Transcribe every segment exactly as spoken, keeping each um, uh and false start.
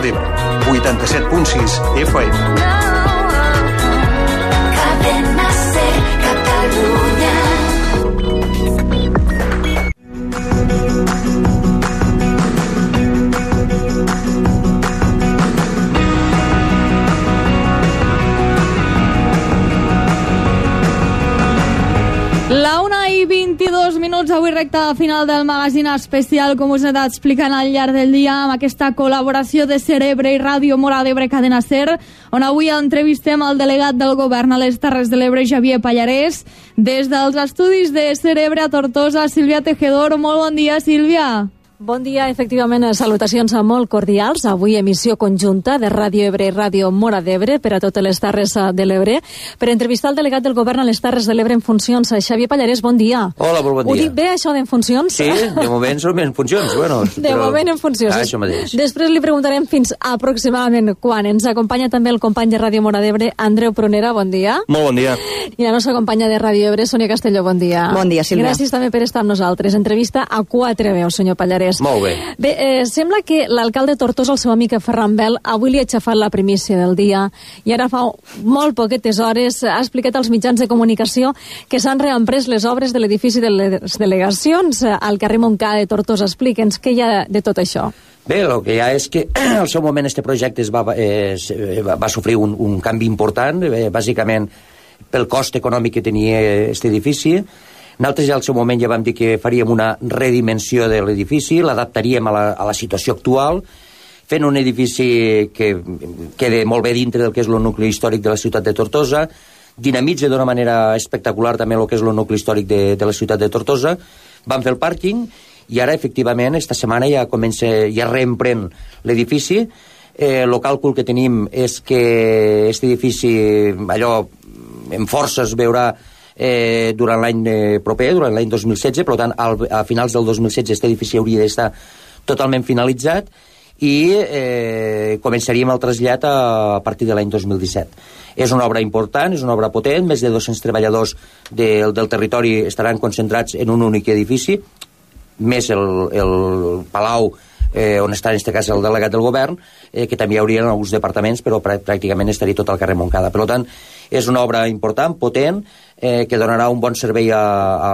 Móra d'Ebre, vuitanta-set punt sis F M. Cadena Ser, Catalunya. La una i vint-i-dos minuts, avui recta final del magazín especial, com us he anat explicant al llarg del dia, amb aquesta col·laboració de Cerebre i Ràdio Móra d'Ebre Cadena Ser, on avui entrevistem el delegat del govern a les Terres de l'Ebre, Xavier Pallarès, des dels estudis de Cerebre a Tortosa, Sílvia Tejedor. Molt bon dia, Sílvia. Bon dia, efectivament, salutacions molt cordials. Avui emissió conjunta de Ràdio Ebre i Ràdio Móra d'Ebre per a totes les Terres de l'Ebre, per entrevistar el delegat del govern a les Terres de l'Ebre en funcions, Xavier Pallarès. Bon dia. Hola, molt bon dia. Ho dic bé, això d'en funcions? Sí, de moment som en funcions. Bueno, de però... moment en funcions. Ah, això mateix. Després li preguntarem fins aproximadament quan. Ens acompanya també el company de Ràdio Móra d'Ebre, Andreu Prunera. Bon dia. Molt bon dia. I la nostra companya de Ràdio Ebre, Sònia Castelló. Bon dia. Bon dia, Sílvia. Gràcies també per estar amb nosaltres. Entrevista a quatre veus, senyor Pallarès. Molt bé. Bé, eh, sembla que l'alcalde Tortosa, el seu amic Ferran Bel, avui li ha aixafat la primícia del dia i ara fa molt poquetes hores ha explicat als mitjans de comunicació que s'han reemprès les obres de l'edifici de les delegacions al carrer Montcada de Tortosa. Explica'ns què hi ha de tot això. Bé, el que hi ha és que al seu moment este projecte es va, eh, va sofrir un, un canvi important, eh, bàsicament pel cost econòmic que tenia aquest edifici. Nosaltres ja al seu moment ja vam dir que faríem una redimensió de l'edifici, l'adaptaríem a, la, a la situació actual, fent un edifici que quede molt bé dintre del que és el nucli històric de la ciutat de Tortosa, dinamitza d'una manera espectacular també el que és el nucli històric de, de la ciutat de Tortosa. Vam fer el pàrquing i ara, efectivament, esta setmana ja comença, ja reemprèn l'edifici. Eh, el càlcul que tenim és que aquest edifici, allò, en força es veurà Eh, durant l'any eh, proper, durant l'any dos mil setze, per tant, al, a finals del dos mil setze aquest edifici hauria d'estar totalment finalitzat i eh, començaríem el trasllat a, a partir de l'any dos mil disset. És una obra important, és una obra potent, més de dos-cents treballadors de, del territori estaran concentrats en un únic edifici, més el, el Palau, eh, on està en aquest cas el delegat del govern, eh, que també hi haurien alguns departaments, però pràcticament estaria tot al carrer Montcada. Per tant, és una obra important, potent, eh, que donarà un bon servei a,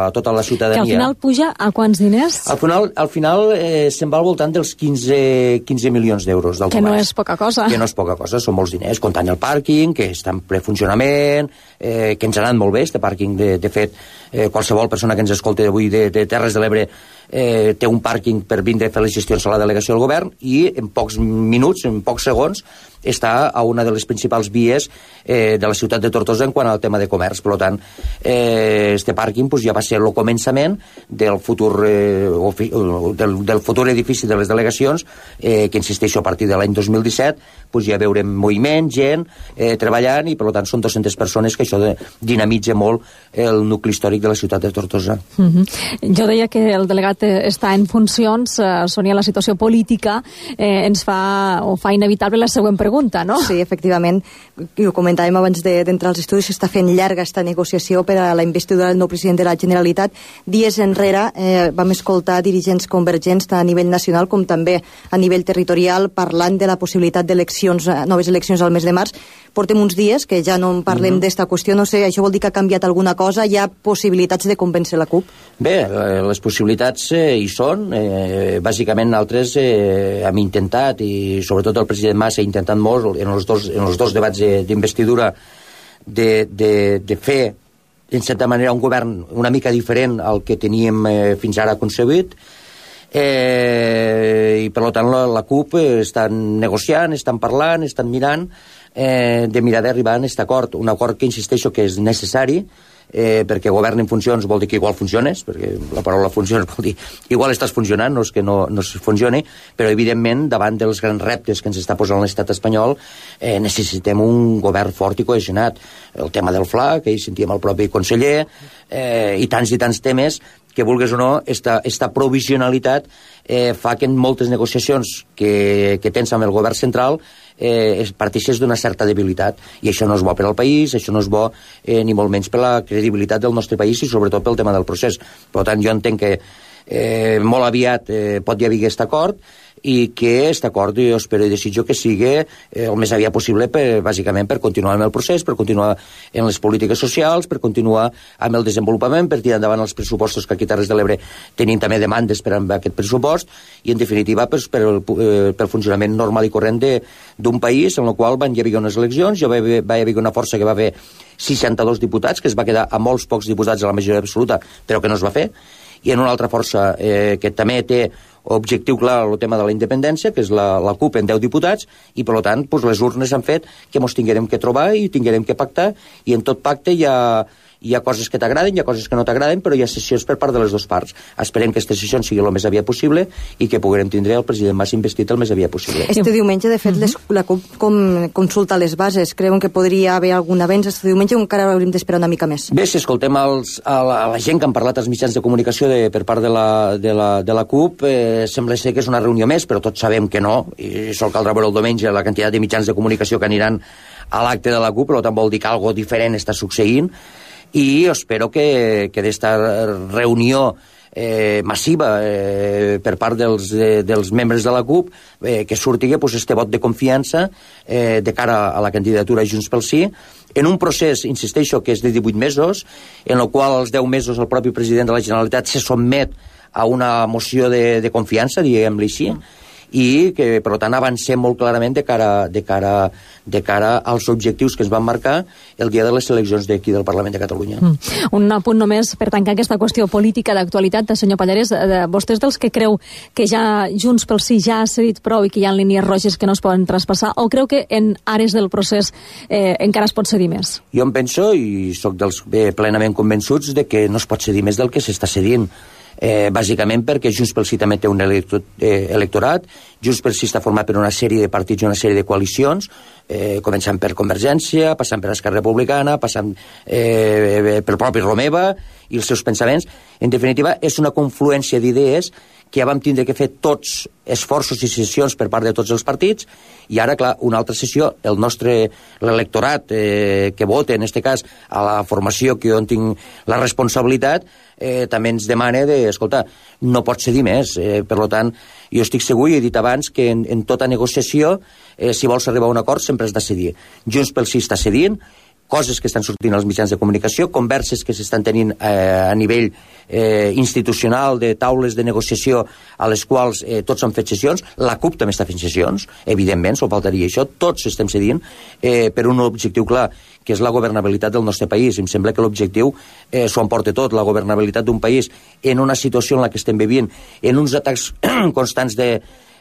a tota la ciutadania. Que al final puja a quants diners? Al final, al final eh, se'n va al voltant dels quinze milions d'euros. Que no és poca cosa. Que no és poca cosa, són molts diners, comptant el pàrquing, que està en ple funcionament, eh, que ens ha anat molt bé, este pàrquing. De, de fet, eh, qualsevol persona que ens escolti avui de, de Terres de l'Ebre eh, té un pàrquing per vindre a fer les gestions a la delegació del govern i en pocs minuts, en pocs segons, està a una de les principals vies eh, de la ciutat de Tortosa en quant al tema de comerç. Per tant, eh, este pàrquing pues, ja va ser el començament del futur, eh, del, del futur edifici de les delegacions, eh, que insisteixo, a partir de l'any dos mil disset pues, ja veurem moviment, gent eh, treballant, i per tant són dues-centes persones, que això de, dinamitza molt el nucli històric de la ciutat de Tortosa. Mm-hmm. Jo deia que el delegat està en funcions, eh, Sònia, la situació política eh, ens fa, o fa inevitable la següent pregunta, no? Sí, efectivament, ho comentàvem abans d'entrar als estudis, s'està fent llarga esta negociació per a la investidura del nou president de la Generalitat. Dies enrere eh, vam escoltar dirigents convergents tant a nivell nacional com també a nivell territorial parlant de la possibilitat d'eleccions, noves eleccions al mes de març. Portem uns dies que ja no en parlem mm-hmm. d'esta qüestió, no sé, això vol dir que ha canviat alguna cosa? Hi ha possibilitats de convèncer la CUP? Bé, les possibilitats eh, hi són. Eh, bàsicament, nosaltres eh, hem intentat, i sobretot el president Mas ha intentat molt en els dos, en els dos debats d'investidura de, de, de fer, en certa manera, un govern una mica diferent al que teníem eh, fins ara concebut. Eh, i per tant la, la CUP eh, estan negociant, estan parlant, estan mirant eh, de mirar d'arribar a aquest acord, un acord que insisteixo que és necessari, eh, perquè govern en funcions vol dir que igual funciones, perquè la paraula funcions vol dir igual estàs funcionant, no és que no, no funcioni, però evidentment davant dels grans reptes que ens està posant l'estat espanyol eh, necessitem un govern fort i cohesionat. El tema del F L A, que hi sentíem el propi conseller, eh, i tants i tants temes que, vulgues o no, esta, esta provisionalitat eh, fa que en moltes negociacions que, que tens amb el govern central eh, parteixes d'una certa debilitat, i això no és bo per al país, això no és bo eh, ni molt menys per la credibilitat del nostre país i sobretot pel tema del procés. Per tant, jo entenc que eh, molt aviat eh, pot hi haver aquest acord, i que aquest acord jo espero i desitjo que sigui eh, el més aviat possible per, bàsicament per continuar amb el procés, per continuar en les polítiques socials, per continuar amb el desenvolupament, per tirar endavant els pressupostos que aquí a Terres de l'Ebre tenim també demandes per amb aquest pressupost, i en definitiva per, per el, eh, pel funcionament normal i corrent d'un país en el qual van hi haver unes eleccions, hi va haver, va haver una força que va haver seixanta-dos diputats, que es va quedar a molts pocs diputats a la majoria absoluta, però que no es va fer, i en una altra força eh, que també té objectiu clar el tema de la independència, que és la, la CUP en deu diputats, i per tant pues, les urnes han fet que ens tinguem que trobar i tinguem que pactar, i en tot pacte hi ha, hi ha coses que t'agraden, hi ha coses que no t'agraden, però hi ha sessions per part de les dues parts. Esperem que aquesta sessió sigui el més aviat possible i que puguem tindre el president Mas investit el més aviat possible. Este diumenge, de fet, uh -huh. les, la CUP com, consulta les bases. Creuen que podria haver algun avenç este diumenge o encara haurem d'esperar una mica més? Bé, si escoltem els, a, la, a la gent que han parlat als mitjans de comunicació de, per part de la, de la, de la CUP, eh, sembla ser que és una reunió més, però tots sabem que no, i sol caldrà veure el diumenge la quantitat de mitjans de comunicació que aniran a l'acte de la CUP, però també vol dir que algo diferent està succeint, i espero que, que d'esta reunió eh, massiva eh, per part dels, de, dels membres de la CUP eh, que surti pues, este vot de confiança eh, de cara a la candidatura Junts pel Sí, en un procés, insisteixo, que és de divuit mesos, en el qual als deu mesos el propi president de la Generalitat se sotmet a una moció de, de confiança, diguem-li així, i que, per tant, avancem molt clarament de cara, de, cara, de cara als objectius que es van marcar el dia de les eleccions d'aquí del Parlament de Catalunya. Mm. Un apunt només per tancar aquesta qüestió política d'actualitat, senyor Pallarès. Vostè és dels que creu que ja Junts pel Sí ja ha cedit prou i que hi ha línies roges que no es poden traspassar, o creu que en àrees del procés eh, encara es pot cedir més? Jo em penso, i sóc dels bé, plenament convençuts, de que no es pot cedir més del que s'està cedint. Eh, bàsicament perquè Junts pel Sí també té un electo, eh, electorat. Junts pel Sí està format per una sèrie de partits i una sèrie de coalicions, eh, començant per Convergència, passant per Esquerra Republicana, passant eh, pel propi Romeva i els seus pensaments. En definitiva, és una confluència d'idees que ja vam tindre que fer tots esforços i sessions per part de tots els partits, i ara, clar, una altra sessió, el nostre, l'electorat eh, que vota, en aquest cas, a la formació que jo en tinc la responsabilitat, eh, també ens demana de, escolta, no pot cedir més. Eh, per tant, jo estic segur, i he dit abans, que en, en tota negociació, eh, si vols arribar a un acord, sempre has de cedir. Junts pel Sí està cedint, coses que estan sortint als mitjans de comunicació, converses que s'estan tenint eh, a nivell eh, institucional, de taules de negociació a les quals eh, tots han fet sessions. La CUP també està fent sessions, evidentment, s'ho faltaria això, tots estem cedint eh, per un objectiu clar, que és la governabilitat del nostre país. Em sembla que l'objectiu eh, s'ho emporta tot, la governabilitat d'un país en una situació en la que estem vivint, en uns atacs constants de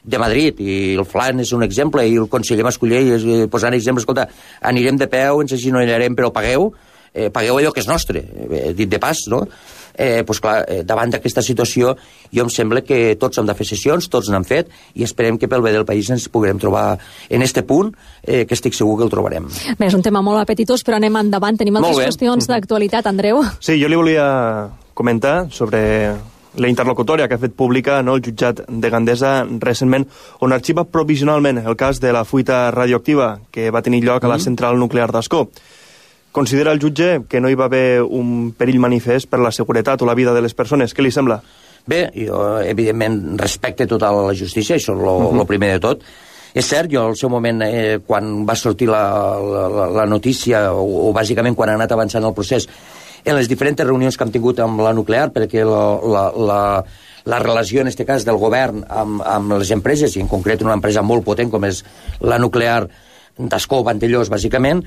de Madrid, i el Flan és un exemple, i el conseller Mascolell eh, posant exemple, escolta, anirem de peu, ens aginollarem, però pagueu, eh, pagueu allò que és nostre, eh, dit de pas, no? Eh, pues clar, eh, davant d'aquesta situació, jo em sembla que tots hem de fer sessions, tots n'han fet, i esperem que pel bé del país ens puguem trobar en este punt, eh, que estic segur que el trobarem. Bé, és un tema molt apetitós, però anem endavant. Tenim altres qüestions d'actualitat, Andreu. Sí, jo li volia comentar sobre la interlocutòria que ha fet pública, no, el jutjat de Gandesa recentment, on arxiva provisionalment el cas de la fuita radioactiva que va tenir lloc a la central nuclear d'Ascó. Considera el jutge que no hi va haver un perill manifest per la seguretat o la vida de les persones. Què li sembla? Bé, jo evidentment respecte total a la justícia, això és el uh -huh. primer de tot. És cert, jo al seu moment, eh, quan va sortir la, la, la notícia, o, o bàsicament quan ha anat avançant el procés, en les diferents reunions que hem tingut amb la nuclear, perquè la, la, la, la relació, en aquest cas, del govern amb, amb les empreses, i en concret una empresa molt potent com és la nuclear d'Ascó, Vandellós, bàsicament,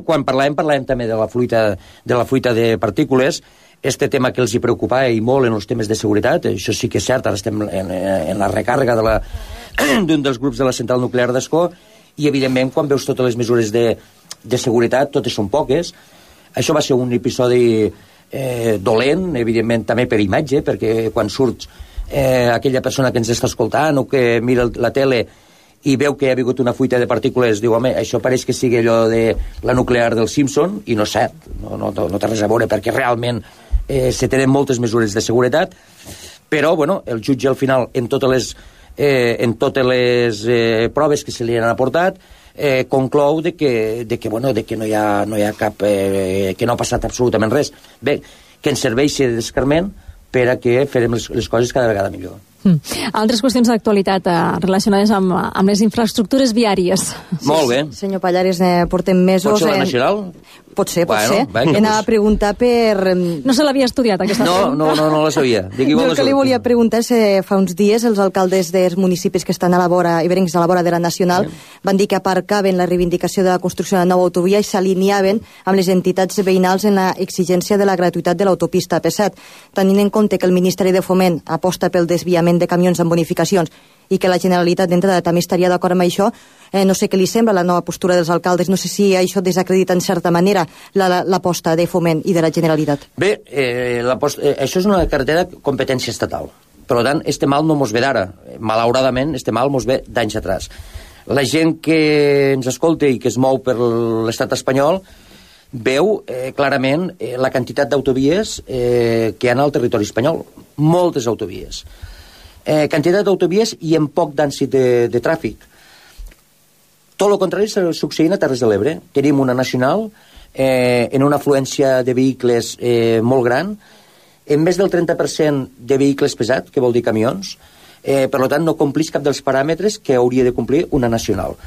quan parlàvem, parlàvem també de la fruita de, la fruita de partícules, este tema que els hi preocupava i molt en els temes de seguretat, això sí que és cert, ara estem en, en la recàrrega de la, d'un dels grups de la central nuclear d'Ascó, i evidentment quan veus totes les mesures de, de seguretat, totes són poques. Això va ser un episodi eh, dolent, evidentment també per imatge, perquè quan surt eh, aquella persona que ens està escoltant o que mira la tele i veu que hi ha hagut una fuita de partícules, diu, home, això pareix que sigui allò de la nuclear del Simpson, i no és cert, no, no, no té res a veure, perquè realment eh, se tenen moltes mesures de seguretat, però, bueno, el jutge al final, en totes les, eh, en totes les eh, proves que se li han aportat, Eh, conclou de que, de que, bueno, de que no hi ha, no hi ha cap... Eh, que no ha passat absolutament res. Bé, que ens serveixi d'escarment per a que farem les, les coses cada vegada millor. Mm. Altres qüestions d'actualitat eh, relacionades amb, amb les infraestructures viàries. Molt bé. Sí, senyor Pallares, eh, portem mesos... Pot ser la en... nacional? Pot ser, pot Bueno, ser. venga, Anava pues. a preguntar per... No se l'havia estudiat, aquesta No, pregunta? no, no, no la sabia. Digui, Jo vol el que la li sabia. volia preguntar és eh, fa uns dies els alcaldes dels municipis que estan a la vora, ibèrics a la vora de la Nacional, van dir que aparcaven la reivindicació de la construcció de la nova autovia i s'alineaven amb les entitats veïnals en la exigència de la gratuïtat de l'autopista A P set, tenint en compte que el Ministeri de Foment aposta pel desviament de camions amb bonificacions i que la Generalitat d'entrada també estaria d'acord amb això, eh, no sé què li sembla la nova postura dels alcaldes, no sé si això desacredita en certa manera l'aposta la, de Foment i de la Generalitat. Bé, eh, la post, eh, això és una carretera de competència estatal. Per tant, este mal no mos ve d'ara. Malauradament, este mal mos ve d'anys atrás. La gent que ens escolta i que es mou per l'estat espanyol veu eh, clarament eh, la quantitat d'autovies eh, que hi ha al territori espanyol. Moltes autovies. Eh, quantitat d'autovies i en poc d'ànsit de, de tràfic. Tot el contrari està succeint a Terres de l'Ebre. Tenim una nacional eh, en una afluència de vehicles eh, molt gran, en més del trenta per cent de vehicles pesats, que vol dir camions, eh, per tant no complís cap dels paràmetres que hauria de complir una nacional.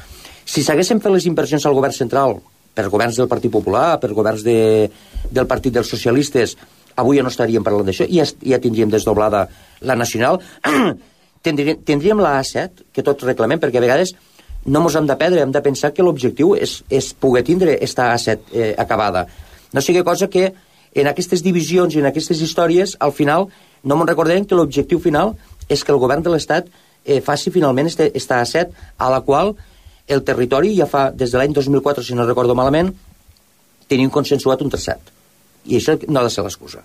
Si s'haguessin fet les inversions al govern central, per governs del Partit Popular, per governs de, del Partit dels Socialistes, avui ja no estaríem parlant d'això, ja, ja tindríem desdoblada la nacional, tindríem, tindríem la A set, que tots reclamem, perquè a vegades no ens hem de perdre, hem de pensar que l'objectiu és, és poder tindre esta A set eh, acabada. No sigui cosa que en aquestes divisions i en aquestes històries, al final, no me'n recordem que l'objectiu final és que el govern de l'Estat eh, faci finalment este, esta A set, a la qual el territori ja fa, des de l'any dos mil quatre, si no recordo malament, tenim consensuat un traçat. I això no ha de ser l'excusa.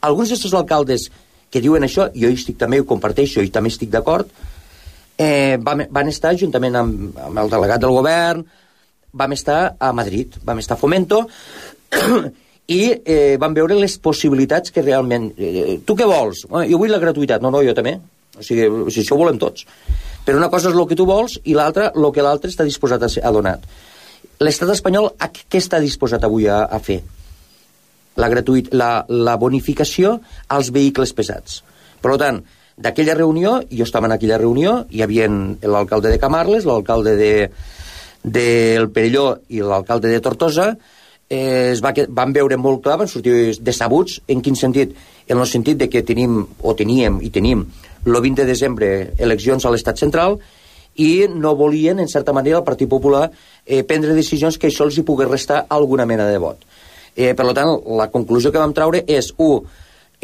Alguns d'aquests alcaldes que diuen això, jo hi estic també, ho comparteixo, i també estic d'acord, eh, van, van estar juntament amb, amb el delegat del govern, vam estar a Madrid, vam estar a Fomento, i eh, vam veure les possibilitats que realment... Eh, tu què vols? Eh, jo vull la gratuïtat. No, no, jo també. O sigui, si això ho volem tots. Però una cosa és el que tu vols i l'altra, el que l'altre està disposat a, ser, a donar. L'estat espanyol, a què està disposat avui a, a fer? La, gratuït, la, la bonificació als vehicles pesats. Per tant, d'aquella reunió, jo estava en aquella reunió, hi havia l'alcalde de Camarles, l'alcalde de, de el Perelló i l'alcalde de Tortosa, eh, es va, van veure molt clar, van sortir decebuts. En quin sentit? En el sentit de que tenim, o teníem i tenim, el vint de desembre eleccions a l'estat central i no volien, en certa manera, el Partit Popular eh, prendre decisions que això els hi pogués restar alguna mena de vot. Eh, per tant, la conclusió que vam treure és, u,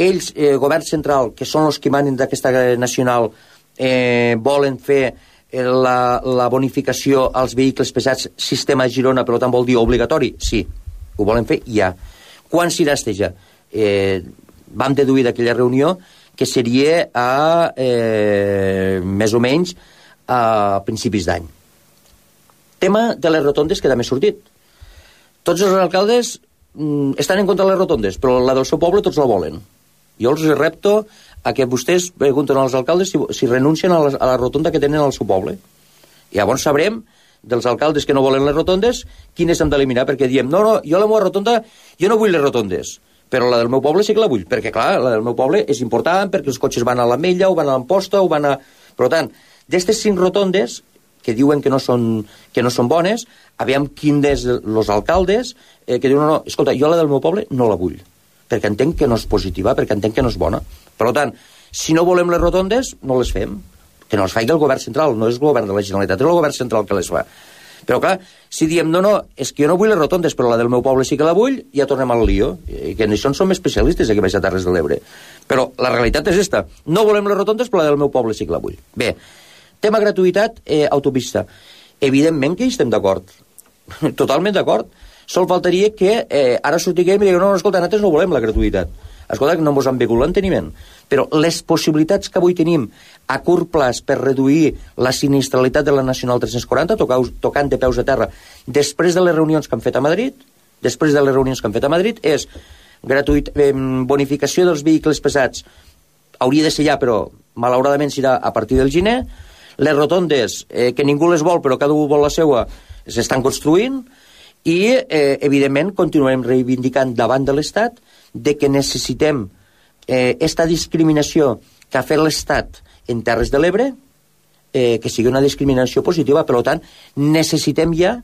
ells, eh, govern central, que són els que manen d'aquesta nacional, eh, volen fer eh, la, la bonificació als vehicles pesats sistema Girona, per tant vol dir obligatori? Sí, ho volen fer ja. Quan s'hi ja? Eh, vam deduir d'aquella reunió que seria a, eh, més o menys a principis d'any. Tema de les rotondes que també ha sortit. Tots els alcaldes mm, estan en contra de les rotondes, però la del seu poble tots la volen. Jo els repto a que vostès pregunten als alcaldes si, si renuncien a la, a la rotonda que tenen al seu poble. I llavors sabrem dels alcaldes que no volen les rotondes quines hem d'eliminar, perquè diem, no, no, jo la meva rotonda, jo no vull les rotondes, però la del meu poble sí que la vull, perquè clar, la del meu poble és important, perquè els cotxes van a l'Ametlla, o van a l'Amposta, o van a... Per tant, d'aquestes cinc rotondes que diuen que no són, que no són bones, aviam quin dels els alcaldes eh, que diuen, no, no, escolta, jo la del meu poble no la vull, perquè entenc que no és positiva, perquè entenc que no és bona. Per tant, si no volem les rotondes, no les fem. Que no les faci el govern central, no és el govern de la Generalitat, és el govern central que les fa. Però clar, si diem, no, no, és que jo no vull les rotondes, però la del meu poble sí que la vull, ja tornem al lío. I que en això en som especialistes aquí baix a Terres de l'Ebre. Però la realitat és esta. No volem les rotondes, però la del meu poble sí que la vull. Bé, tema gratuïtat, eh, autopista. Evidentment que hi estem d'acord. Totalment d'acord. Sol faltaria que eh, ara sortiguem i diguem, no, no, escolta, nosaltres no volem la gratuïtat. Escolta, que no ens han begut l'enteniment. Però les possibilitats que avui tenim a curt plaç per reduir la sinistralitat de la Nacional tres-cents quaranta, tocant de peus a terra, després de les reunions que han fet a Madrid, després de les reunions que han fet a Madrid, és gratuït, eh, bonificació dels vehicles pesats. Hauria de ser ja, però malauradament serà a partir del gener. Les rotondes, eh, que ningú les vol, però cada un vol la seva, s'estan construint, i, eh, evidentment, continuem reivindicant davant de l'Estat de que necessitem eh, esta discriminació que ha fet l'Estat en Terres de l'Ebre, eh, que sigui una discriminació positiva. Per tant, necessitem ja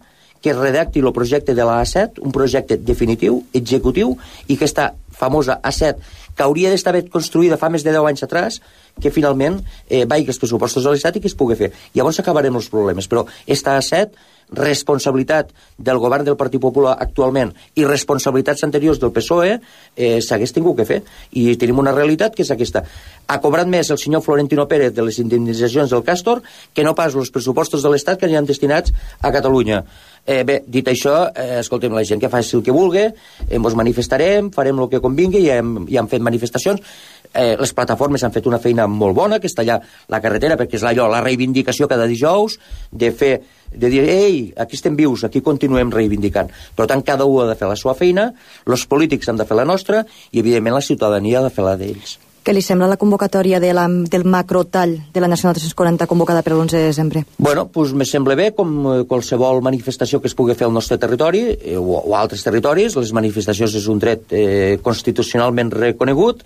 que es redacti el projecte de la A set, un projecte definitiu, executiu, i que aquesta famosa A set, que hauria d'estar construïda fa més de deu anys atrás, que finalment eh, vagi els pressupostos de l'Estat i que es pugui fer. Llavors acabarem els problemes. Però aquesta A set, responsabilitat del govern del Partit Popular actualment i responsabilitats anteriors del P S O E, eh, s'hagués tingut que fer. I tenim una realitat que és aquesta. Ha cobrat més el senyor Florentino Pérez de les indemnitzacions del Castor que no pas els pressupostos de l'Estat que aniran destinats a Catalunya. Eh, bé, dit això, eh, escoltem, la gent que faci el que vulgui, eh, ens manifestarem, farem el que convingui, ja hem, ja hem fet manifestacions, eh, les plataformes han fet una feina molt bona, que està allà la carretera, perquè és allò, la reivindicació cada dijous, de fer, de dir, ei, aquí estem vius, aquí continuem reivindicant. Per tant, cada un ha de fer la seva feina, els polítics han de fer la nostra, i evidentment la ciutadania ha de fer la d'ells. Què li sembla la convocatòria de la, del macrotall de la Nacional tres-cents quaranta convocada per l'onze de desembre? Bueno, doncs me sembla bé, com qualsevol manifestació que es pugui fer al nostre territori eh, o, o altres territoris. Les manifestacions és un dret eh, constitucionalment reconegut,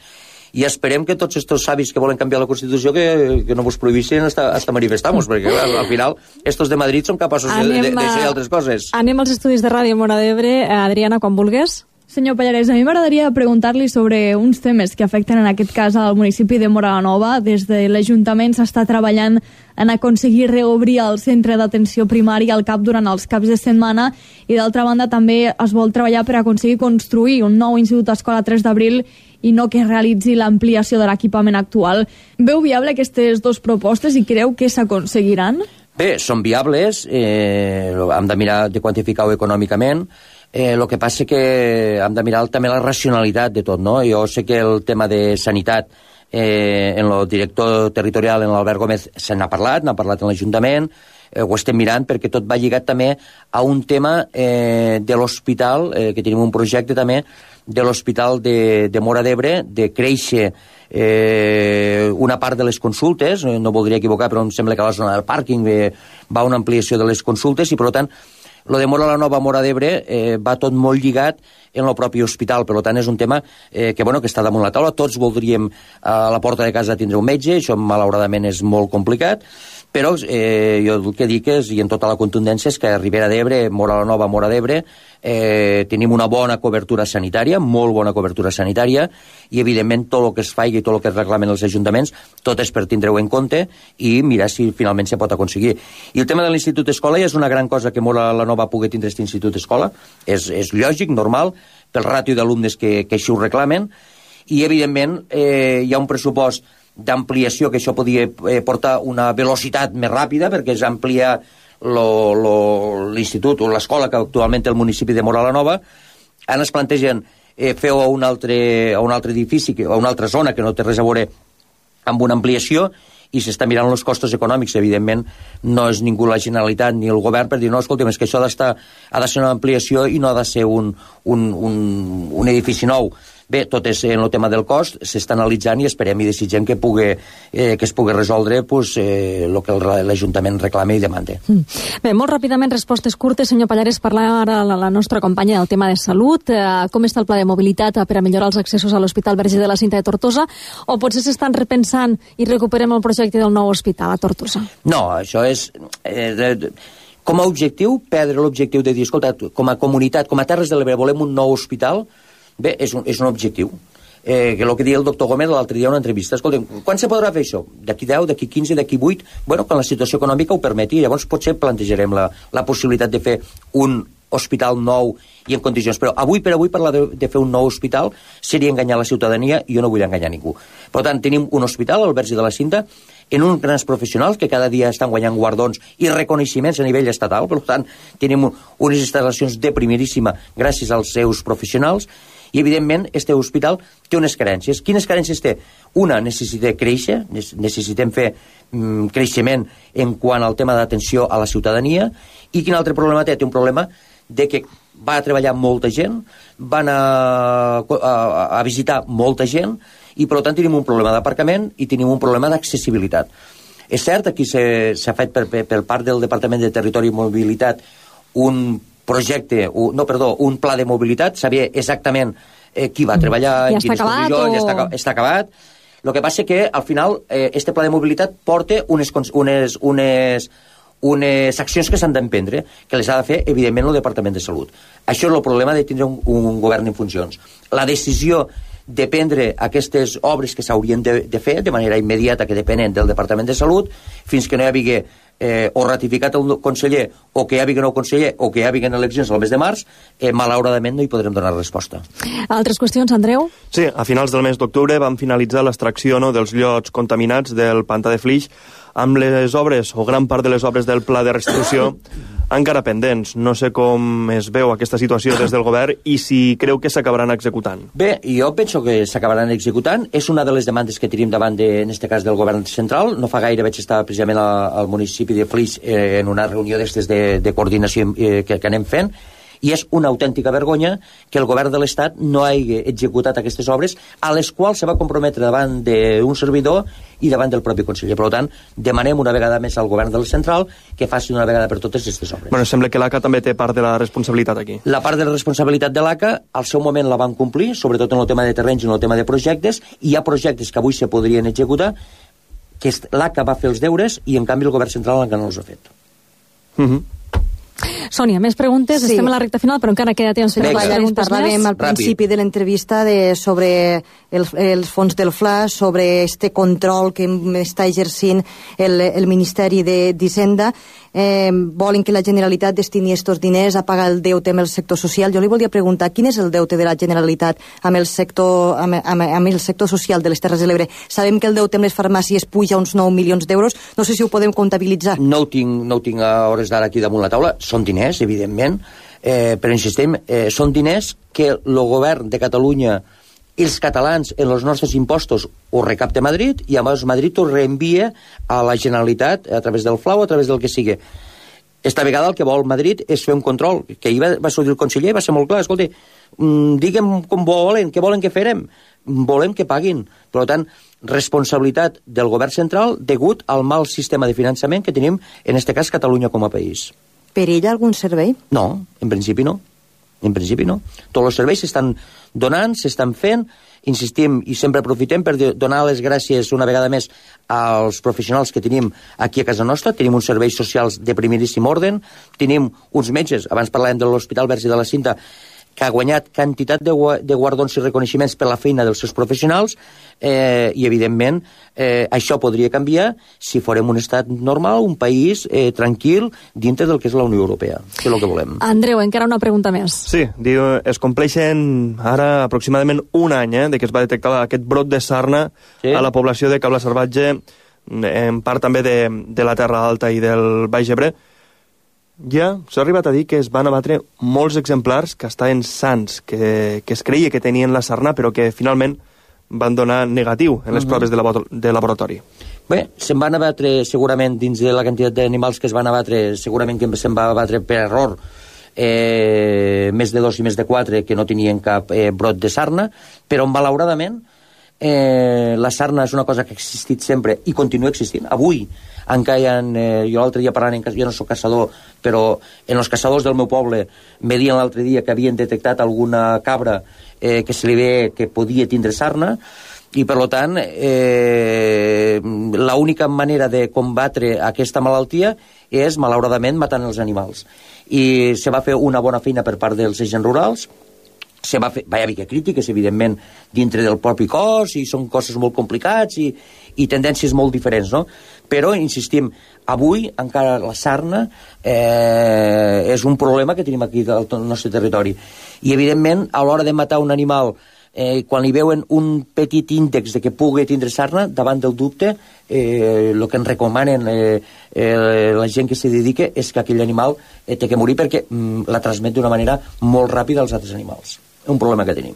i esperem que tots aquests savis que volen canviar la Constitució que, que no vos prohibissin hasta, hasta manifestar-nos, perquè al, al final estos de Madrid són capaços anem de, de, de fer altres coses. Anem als estudis de Ràdio Móra d'Ebre. Adriana, quan vulgues. Senyor Pallarès, a mi m'agradaria preguntar-li sobre uns temes que afecten en aquest cas al municipi de Móra la Nova. Des de l'Ajuntament s'està treballant en aconseguir reobrir el centre d'atenció primària al CAP durant els caps de setmana, i d'altra banda també es vol treballar per aconseguir construir un nou institut escola tres d'abril i no que realitzi l'ampliació de l'equipament actual. Veu viable aquestes dues propostes i creu que s'aconseguiran? Bé, són viables, eh, hem de mirar de quantificar-ho econòmicament. Eh, el que passa que hem de mirar també la racionalitat de tot, no? Jo sé que el tema de sanitat eh, en el director territorial, en l'Albert Gómez, se n'ha parlat, n'ha parlat en l'Ajuntament, eh, ho estem mirant perquè tot va lligat també a un tema eh, de l'hospital, eh, que tenim un projecte també de l'hospital de, de Móra d'Ebre, de créixer eh, una part de les consultes, no voldria equivocar, però em sembla que a la zona del pàrquing eh, va una ampliació de les consultes, i per tant lo de Móra la Nova, Móra d'Ebre, eh, va tot molt lligat en el propi hospital. Per tant, és un tema eh, que, bueno, que està damunt la taula. Tots voldríem a la porta de casa tindre un metge, això malauradament és molt complicat, però eh, jo el que dic és, i en tota la contundència, és que a Ribera d'Ebre, Móra la Nova, Móra d'Ebre, eh, tenim una bona cobertura sanitària, molt bona cobertura sanitària, i evidentment tot el que es faci i tot el que es reclamen els ajuntaments, tot és per tindre-ho en compte i mirar si finalment se pot aconseguir. I el tema de l'Institut Escola ja és una gran cosa que Móra la Nova pugui tindre aquest Institut Escola, és, és lògic, normal, pel ràtio d'alumnes que, que així ho reclamen, i evidentment eh, hi ha un pressupost d'ampliació que això podia eh, portar una velocitat més ràpida, perquè és ampliar l'institut o l'escola que actualment té el municipi de Móra la Nova. Ara es plantegen eh, fer-ho a un altre, a un altre edifici, a una altra zona que no té res a veure amb una ampliació, i s'està mirant els costos econòmics. Evidentment no és ningú la Generalitat ni el govern per dir, no, escolta'm, és que això ha d'estar, ha de ser una ampliació i no ha de ser un, un, un, un edifici nou. Bé, tot és en el tema del cost, s'està analitzant i esperem i desitgem que, pugui, eh, que es pugui resoldre pues, eh, el que l'Ajuntament reclama i demanda. Mm. Bé, molt ràpidament, respostes curtes. Senyor Pallarès, parlar ara la, la nostra companya del tema de salut. Eh, com està el pla de mobilitat per a millorar els accessos a l'Hospital Verge de la Cinta de Tortosa? O potser s'estan repensant i recuperem el projecte del nou hospital a Tortosa? No, això és... Eh, de, com a objectiu, perdre l'objectiu de dir, escolta, com a comunitat, com a Terres de l'Ebre, volem un nou hospital. Bé, és un, és un objectiu. Eh, que el que deia el doctor Gómez l'altre dia en una entrevista, escolta'm, quan se podrà fer això? D'aquí deu, d'aquí quinze, d'aquí vuit? Bueno, quan la situació econòmica ho permeti, llavors potser plantejarem la, la possibilitat de fer un hospital nou i en condicions. Però avui per avui parlar de, de fer un nou hospital seria enganyar la ciutadania, i jo no vull enganyar ningú. Per tant, tenim un hospital, el Verge de la Cinta, en uns grans professionals que cada dia estan guanyant guardons i reconeixements a nivell estatal. Per tant, tenim unes instal·lacions de primeríssima gràcies als seus professionals. I, evidentment, este hospital té unes carències. Quines carències té? Una, necessita créixer, necessitem fer mm, creixement en quant al tema d'atenció a la ciutadania. I quin altre problema té? Té un problema de que va a treballar molta gent, van a, a, a visitar molta gent, i per tant tenim un problema d'aparcament i tenim un problema d'accessibilitat. És cert, aquí s'ha fet per, per, per part del Departament de Territori i Mobilitat un projecte, un, no, perdó, un pla de mobilitat, sabia exactament eh, qui va treballar, ja en quines acabat, condicions, o... ja està, està acabat. El que passa que, al final, eh, este pla de mobilitat porta unes, unes, unes, unes accions que s'han d'emprendre, que les ha de fer, evidentment, el Departament de Salut. Això és el problema de tindre un, un govern en funcions. La decisió de prendre aquestes obres que s'haurien de, de fer de manera immediata, que depenen del Departament de Salut, fins que no hi hagi eh, o ratificat el conseller, o que hi hagi nou conseller, o que hi hagi eleccions al mes de març, eh, malauradament no hi podrem donar resposta. Altres qüestions, Andreu? Sí, a finals del mes d'octubre vam finalitzar l'extracció no, dels llots contaminats del pantà de Flix, amb les obres, o gran part de les obres del pla de restitució encara pendents. No sé com es veu aquesta situació des del govern i si creu que s'acabaran executant. Bé, jo penso que s'acabaran executant. És una de les demandes que tenim davant, de, en aquest cas, del govern central. No fa gaire vaig estar precisament al, al municipi de Flix eh, en una reunió d'aquestes de, de coordinació eh, que, que anem fent, i és una autèntica vergonya que el govern de l'Estat no hagi executat aquestes obres a les quals se va comprometre davant d'un servidor i davant del propi conseller. Per tant, demanem una vegada més al govern del central que faci una vegada per totes aquestes obres. Bueno, sembla que l'A C A també té part de la responsabilitat aquí. La part de la responsabilitat de l'A C A, al seu moment la van complir, sobretot en el tema de terrenys i en el tema de projectes, i hi ha projectes que avui se podrien executar, que l'A C A va fer els deures i, en canvi, el govern central encara no els ha fet. Mhm. Uh-huh. Sònia, més preguntes? Sí. Estem a la recta final, però encara queda temps. Vinga. Parlàvem al principi Ràpid. de l'entrevista de, sobre el, els fons del F L A, sobre este control que està exercint el, el Ministeri d'Hisenda. Eh, volen que la Generalitat destini estos diners a pagar el deute amb el sector social. Jo li volia preguntar, quin és el deute de la Generalitat amb el sector, amb, amb, amb el sector social de les Terres de l'Ebre? Sabem que el deute amb les farmàcies puja uns nou milions d'euros. No sé si ho podem comptabilitzar. No ho tinc, no ho tinc a hores d'ara aquí damunt la taula. Són diners, evidentment, eh, però insistim, eh, són diners que el govern de Catalunya i els catalans en els nostres impostos ho recapta Madrid i a més Madrid ho reenvia a la Generalitat a través del F L A o a través del que sigui. Esta vegada el que vol Madrid és fer un control, que ahir va, va sortir el conseller i va ser molt clar, escolta, mmm, digue'm com volen, què volen que farem? Volem que paguin. Per tant, responsabilitat del govern central degut al mal sistema de finançament que tenim, en este cas, Catalunya com a país. Per ella algun servei? No, en principi no. En principi no. Tots els serveis s'estan donant, s'estan fent, insistim i sempre aprofitem per donar les gràcies una vegada més als professionals que tenim aquí a casa nostra. Tenim uns serveis socials de primeríssim ordre, tenim uns metges, abans parlàvem de l'Hospital Verge de la Cinta, que ha guanyat quantitat de, de guardons i reconeixements per la feina dels seus professionals, eh, i evidentment eh, això podria canviar si fórem un estat normal, un país eh, tranquil dintre del que és la Unió Europea, que és el que volem. Andreu, encara una pregunta més. Sí, diu, es compleixen ara aproximadament un any eh, de que es va detectar aquest brot de sarna sí? a la població de Cabla Salvatge, en part també de, de la Terra Alta i del Baix Ebre. Ja s'ha arribat a dir que es van abatre molts exemplars que estaven sans, que, que es creia que tenien la sarna, però que finalment van donar negatiu en les uh-huh. proves de, labo de laboratori. Bé, se'n van abatre segurament dins de la quantitat d'animals que es van abatre, segurament que se'n va abatre per error eh, més de dos i més de quatre que no tenien cap eh, brot de sarna, però malauradament eh, la sarna és una cosa que ha existit sempre i continua existint. Avui encara hi ha, eh, jo l'altre dia parlant, en, jo no soc caçador, però en els caçadors del meu poble me diuen l'altre dia que havien detectat alguna cabra eh, que se li ve que podia tindre sarna, i per tant eh, l'única manera de combatre aquesta malaltia és malauradament matant els animals, i se va fer una bona feina per part dels agents rurals. Se va fer, va haver crítiques, evidentment, dintre del propi cos, i són coses molt complicats i, i tendències molt diferents, no? Però, insistim, avui encara la sarna eh, és un problema que tenim aquí al nostre territori. I, evidentment, a l'hora de matar un animal, eh, quan li veuen un petit índex de que pugui tindre sarna, davant del dubte, eh, el que ens recomanen eh, eh, la gent que s'hi dedica és que aquell animal eh, té que morir perquè mm, la transmet d'una manera molt ràpida als altres animals. Un problema que tenim.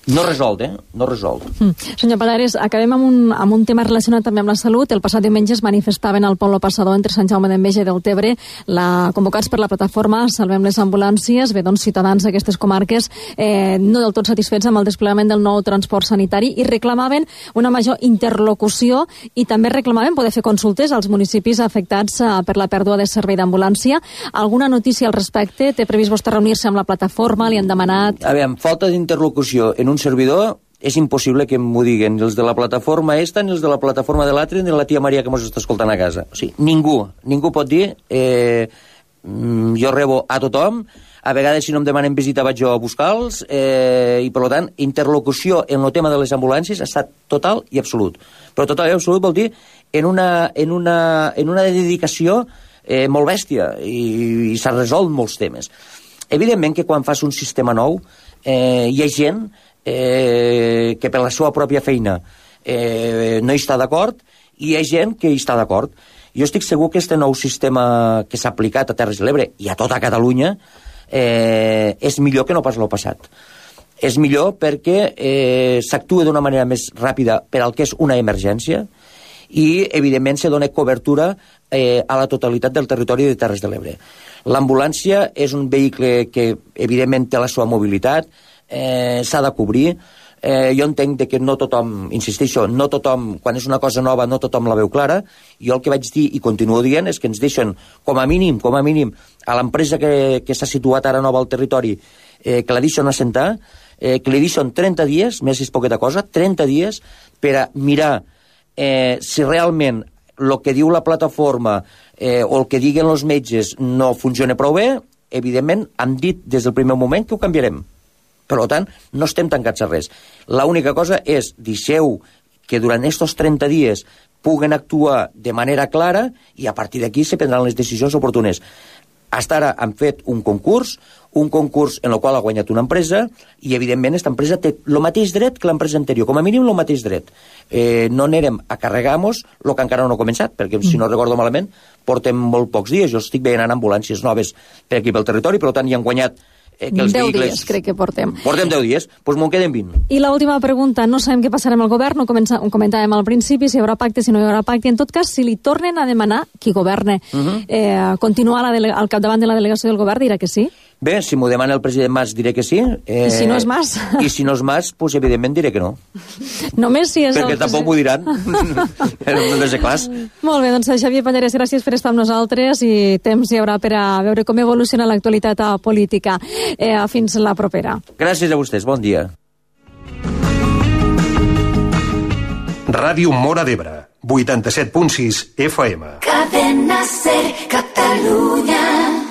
No resolt, eh? No resolt. Mm. Senyor Pallarès, acabem amb un, amb un tema relacionat també amb la salut. El passat diumenge es manifestaven al Poble Passador entre Sant Jaume d'Enveja i Deltebre, la, convocats per la plataforma Salvem les Ambulàncies. Bé, doncs, ciutadans d'aquestes comarques eh, no del tot satisfets amb el desplegament del nou transport sanitari i reclamaven una major interlocució i també reclamaven poder fer consultes als municipis afectats eh, per la pèrdua de servei d'ambulància. Alguna notícia al respecte? Té previst vostè reunir-se amb la plataforma? Li han demanat? A veure, falta d'interlocució en un servidor és impossible que m'ho diguen els de la plataforma esta, ni els de la plataforma de l'altre, ni la tia Maria que mos està escoltant a casa. O sigui, ningú, ningú pot dir eh, jo rebo a tothom, a vegades si no em demanen visita vaig jo a buscar-los, eh, i per tant, interlocució en el tema de les ambulàncies ha estat total i absolut. Però total i absolut vol dir en una, en una, en una dedicació eh, molt bèstia, i, i s'ha resolt molts temes. Evidentment que quan fas un sistema nou eh, hi ha gent eh, que per la seva pròpia feina eh, no hi està d'acord i hi ha gent que hi està d'acord. Jo estic segur que este nou sistema que s'ha aplicat a Terres de l'Ebre i a tota Catalunya eh, és millor que no pas l'any passat. És millor perquè eh, s'actua d'una manera més ràpida per al que és una emergència i, evidentment, se dona cobertura eh, a la totalitat del territori de Terres de l'Ebre. L'ambulància és un vehicle que, evidentment, té la seva mobilitat, eh, s'ha de cobrir. Eh, jo entenc que no tothom, insisteixo, no tothom, quan és una cosa nova, no tothom la veu clara. Jo el que vaig dir i continuo dient és que ens deixen, com a mínim, com a mínim, a l'empresa que, que s'ha situat ara nova al territori, eh, que la deixen assentar, eh, que li deixen trenta dies, més és poqueta cosa, trenta dies, per a mirar eh, si realment el que diu la plataforma eh, o el que diguen els metges no funciona prou bé. Evidentment, han dit des del primer moment que ho canviarem. Per tant, no estem tancats a res. L'única cosa és, deixeu que durant aquests trenta dies puguen actuar de manera clara i a partir d'aquí se prendran les decisions oportunes. Hasta ara han fet un concurs, un concurs en el qual ha guanyat una empresa i, evidentment, aquesta empresa té el mateix dret que l'empresa anterior, com a mínim el mateix dret. Eh, no anirem a carregar-nos el que encara no ha començat, perquè, si no recordo malament, portem molt pocs dies. Jo estic veient ambulàncies noves per aquí pel territori, per tant, hi han guanyat Eh, que els deu vehicles... dies, crec que portem. Portem deu dies, doncs m'ho queden vint. I l'última pregunta, no sabem què passarà amb el govern, ho, comença, ho comentàvem al principi, si hi haurà pacte, si no hi haurà pacte. En tot cas, si li tornen a demanar qui governe, uh -huh. eh, continuar la dele- al capdavant de la delegació del govern, dirà que sí? Bé, si m'ho demana el president Mas diré que sí. Eh, I si no és Mas? I si no és Mas, doncs evidentment diré que no. Només si és Perquè el tampoc m'ho diran. No de ser clars. Molt bé, doncs Xavier Pallarès, gràcies per estar amb nosaltres i temps hi haurà per a veure com evoluciona l'actualitat política. Eh, fins la propera. Gràcies a vostès, bon dia. Ràdio Móra d'Ebre, vuitanta-set punt sis F M. Cadena Ser, Catalunya.